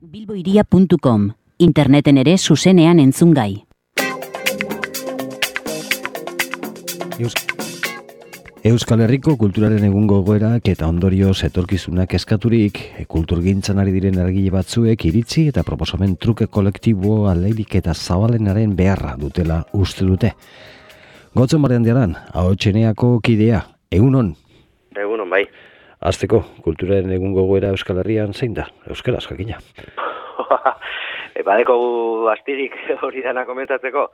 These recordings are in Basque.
bilboiria.com, interneten ere zuzenean entzungai. Euskal Herriko kulturaren egungo gogoerak eta ondorioz etorkizunak eskaturik, kulturgintzan ari diren eragile batzuek iritzi eta proposamen truke kolektibo aleirik eta zabalenaren beharra dutela uste dute. Gotzen Barandiaran, Ahotseneako kidea, egunon? Egunon, bai. Hasteko, kulturaren egungo gogoera Euskal Herrian zein da? Euskaraz, jakina. Badeko astirik hori dana komentatzeko.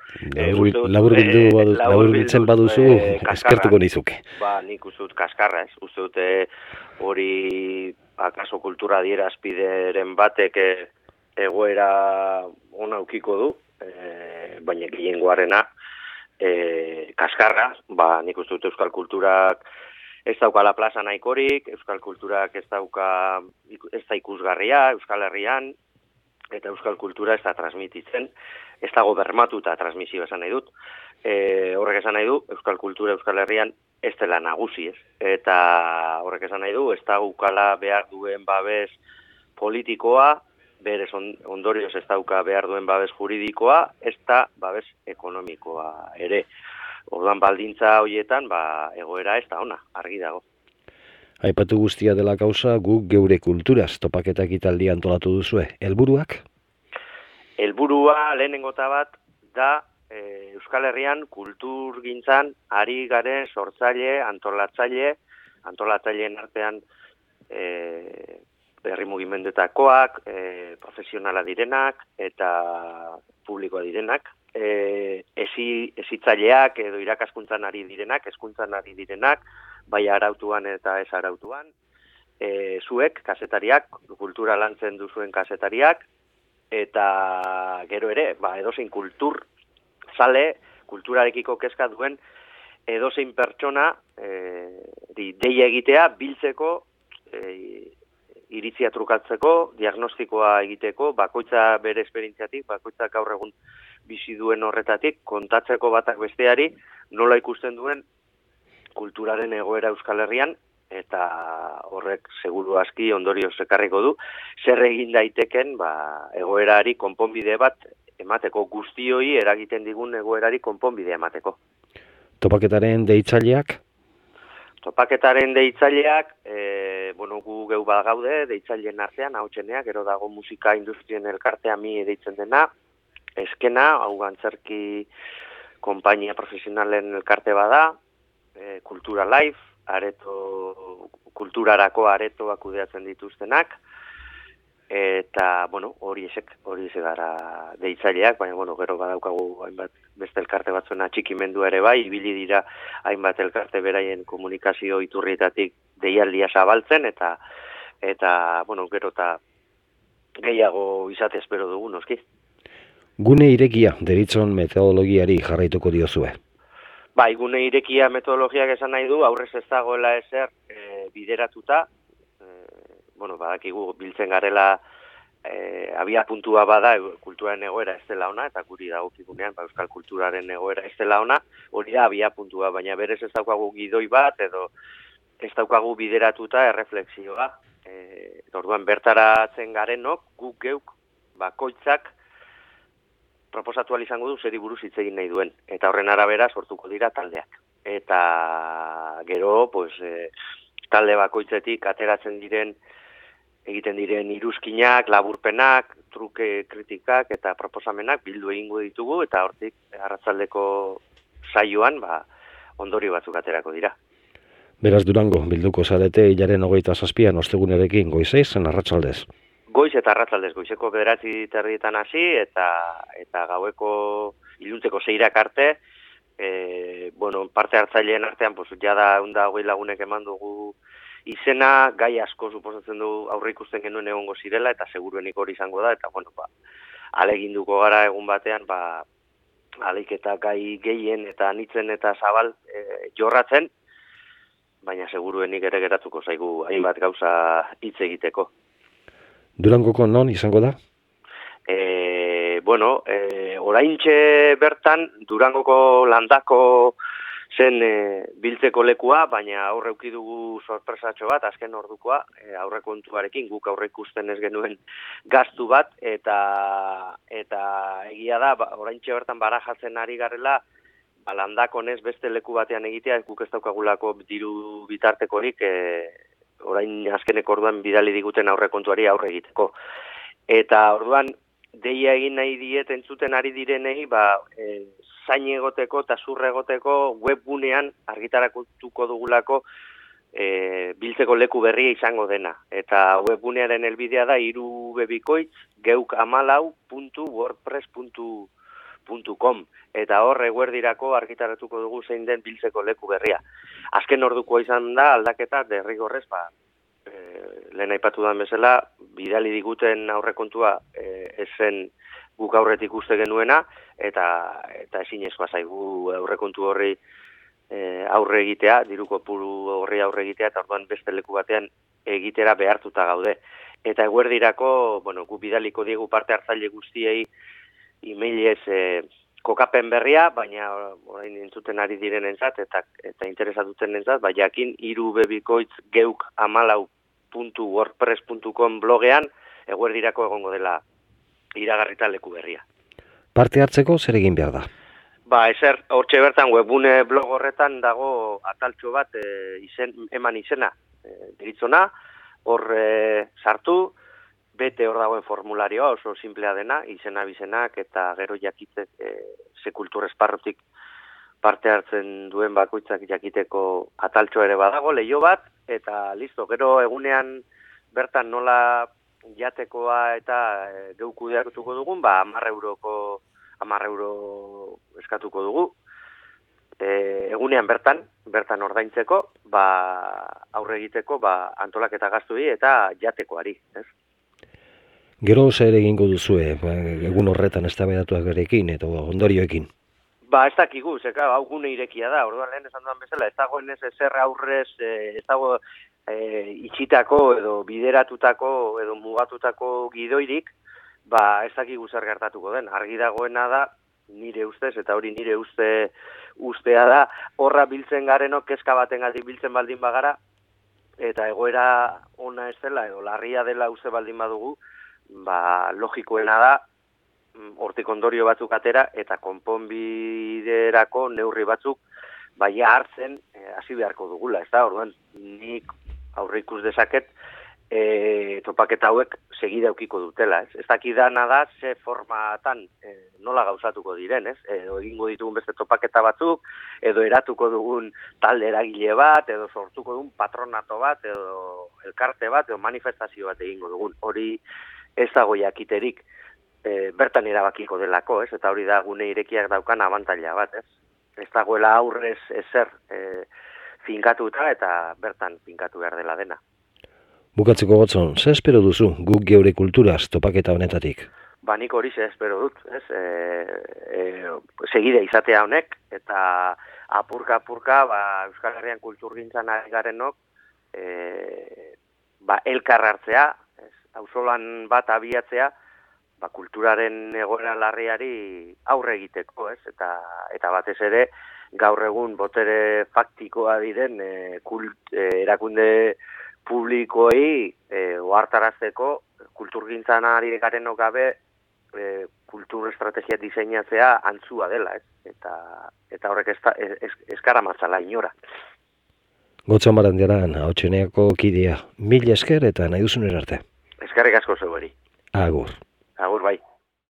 Laburbiltzen baduzu, eskertuko nizuke. Nik uste dut kaskarra, ez? Uste dute hori akaso kultura adierazpideren batek egoera ona ukiko du, baina gehiengoarena kaskarra, nik uste dut euskal kulturak ez daukala plaza nahikorik, euskal kulturak ez da ikusgarria Euskal Herrian, eta euskal kultura ez da transmititzen, ez dago bermatuta transmisio esan nahi dut. Horrek esan nahi du, euskal kultura Euskal Herrian ez dela nagusi, ez? Eta horrek esan nahi du, ez daukala behar duen babes politikoa, berez ondorioz ez dauka behar duen babes juridikoa, ez da babes ekonomikoa ere. Orduan baldintza horietan, egoera ez da ona, argi dago. Aipatu guztia dela kausa, guk geure kulturaz topaketak italdia antolatu duzue. Helburuak? Helburua lehenengota bat da Euskal Herrian kulturgintzan ari garen sortzaile, antolatzaileen artean herri mugimendutakoak, profesionala direnak eta publikoa direnak, hezitzaileak edo irakaskuntzan ari direnak, hezkuntzan ari direnak, bai arautuan eta ez arautuan, zuek, kazetariak, kultura lantzen duzuen kazetariak, eta gero ere, edozein kultur zale, kulturarekiko kezka duen, edozein pertsona deia egitea, biltzeko, iritzia trukatzeko, diagnostikoa egiteko, bakoitza bere esperientziatik, bakoitza gaur egun bizi duen horretatik, kontatzeko batak besteari, nola ikusten duen kulturaren egoera Euskal Herrian, eta horrek seguru aski ondorioz ekarriko du, zer egin daiteken egoerari konponbide bat emateko, guztioi eragiten digun egoerari konponbidea emateko. Topaketaren deitzaileak? Topaketaren deitzaileak, gu geu gaude, deitzaileen artean, Ahotseneak, gero dago musika industrien elkartea mi deitzen dena, eskena, hau antzerki konpainia profesionalen elkarte bada, Kultura Live, kulturarako aretoak kudeatzen dituztenak, eta, hori gara deitzaileak, baina, gero badaukagu hainbat beste elkarte batzuen atxikimendu ere bai, ibili dira hainbat elkarte beraien komunikazio iturrietatik deialdia zabaltzen, eta gero eta gehiago izate espero dugu, noski. Gune irekia deritzon metodologiari jarraituko diozue. Gune irekia metodologiak esan nahi du, aurrez ez dagoela ezer bideratuta, badakigu biltzen garela abia puntua bada kulturaren egoera ez dela ona, eta guri dagokigunean euskal kulturaren egoera ez dela ona, hori da abia puntua, baina berez ez daukagu gidoi bat, edo ez daukagu bideratuta erreflexioa. Orduan bertaratzen garenok, guk geuk, bakoitzak, proposatu izango du zeri buruz hitz egin nahi duen, eta horren arabera sortuko dira taldeak. Eta gero, talde bakoitzetik ateratzen egiten diren iruzkinak, laburpenak, truke kritikak eta proposamenak bildu egingo ditugu, eta hortik arratsaldeko saioan ondorio batzuk aterako dira. Beraz Durango, bilduko zarete hilaren 27an ostegunerekin goizeiz, arratsaldez. Goiz eta arratsaldez, goizeko 9:30 hasi, eta gaueko iluntzeko 6 arte, parte hartzaileen artean, jada 120 lagunek eman dugu izena, gai asko suposatzen du aurre ikusten genuen egongo zirela, eta seguruenik hori izango da, eta aleginduko gara egun batean, aleik eta gai gehien eta anitzen eta zabal jorratzen, baina seguruenik ere geratuko zaigu hainbat gauza hitz egiteko. Durangoko non izango da? Oraintxe bertan Durangoko landako zen biltzeko lekua, baina aurre eduki dugu sorpresatxo bat, azken ordukoa, aurrekontuarekin guk aurre ikusten ez genuen gastu bat, eta egia da, oraintxe bertan barajatzen ari garela, landakonez beste leku batean egitea, guk ez daukagulako diru bitartekorik, orain azkeneko orduan bidali diguten aurrekontuari aurre egiteko. Eta orduan, deia egin nahi diet entzuten ari direnei, zain egoteko eta zurre egoteko webgunean argitarakutuko dugulako biltzeko leku berria izango dena. Eta webgunearen helbidea da irubebikoitz@wordpress.com eta hor eguerdirako argitaratuko dugu zein den biltzeko leku berria. Azken orduko izan da aldaketa derrigorrez, lehen aipatu den bezala, bidali diguten aurrekontua ezen guk aurretik uste genuena, eta ezinezkoa zaigu aurrekontu horri aurre egitea, diru kopuru horri aurre egitea, eta orduan beste leku batean egitera behartuta gaude. Eta eguerdirako, guk bidaliko diegu parte hartzaile guztiei emailez kokapen berria, baina orain entzuten ari direnentzat eta interesatutenentzat, jakin irubebikoitz@wordpress.com blogean eguerdirako egongo dela iragarrita leku berria. Parte hartzeko zer egin behar da? Ezer, hortxe bertan webgune blog horretan dago ataltxo bat eman izena deritzona, hor sartu, bete hor dagoen formularioa oso simplea dena, izena bizenak eta gero jakitek ze kultur esparrutik parte hartzen duen bakoitzak jakiteko ataltxo ere badago, leio bat, eta listo, gero egunean bertan nola jatekoa eta geu kudeatuko dugun, 10 euro eskatuko dugu, egunean bertan ordaintzeko, aurre egiteko, antolaketa gaztuei eta jatekoari, ez? Gero zer egingo duzue, egun horretan eztabaidatuak berekin eta ondorioekin? Ez dakigu, hau gune irekia da, orduan lehen esan duan bezala, ez dagoen ez ezer aurrez, ez dago itxitako edo bideratutako edo mugatutako gidoirik, ez dakigu zer gertatuko den. Argi dagoena da, nire ustez, eta hori nire ustea da, horra biltzen garenok kezka batengatik biltzen baldin bagara, eta egoera ona ez dela, edo larria dela uste baldin badugu, logikoena da, hortik ondorio batzuk atera, eta konponbiderako neurri batzuk, hartzen hasi beharko dugula, ez da, orduan, nik aurre ikus dezaket, topaketa hauek segida eukiko dutela, ez? Ez dakidana da, ze formatan nola gauzatuko diren, ez? Edo egingo ditugun beste topaketa batzuk, edo eratuko dugun talde eragile bat, edo sortuko dugun patronato bat, edo elkarte bat, edo manifestazio bat egingo dugun. Hori ez dago jakiterik bertan erabakiko delako, ez? Eta hori da gune irekiak daukan abantaila bat, ez? Ez dagoela aurrez ezer finkatuta eta bertan finkatu behar dela dena. Bukatzeko Gotzon, ze espero duzu guk geure kulturaz topaketa honetatik? Nik hori ze espero dut, ez? Segide izatea honek, eta apurka-apurka Euskal Herrian kulturgintzan ari garenok elkar hartzea, auzolan bat abiatzea, kulturaren egoera larriari aurre egiteko, ez? Eta batez ere, gaur egun botere faktikoa diren erakunde publikoei ohartarazteko kulturgintzan ari garenok gabe kultur estrategia diseinatzea antzua dela, ez? Eta horrek eskaramantzala inora. Gotzon Barandiaran, Ahotseneako kidea, 1000 esker eta nahi duzun erarte. Eskerrik asko zeueri. Agur. Agur bai.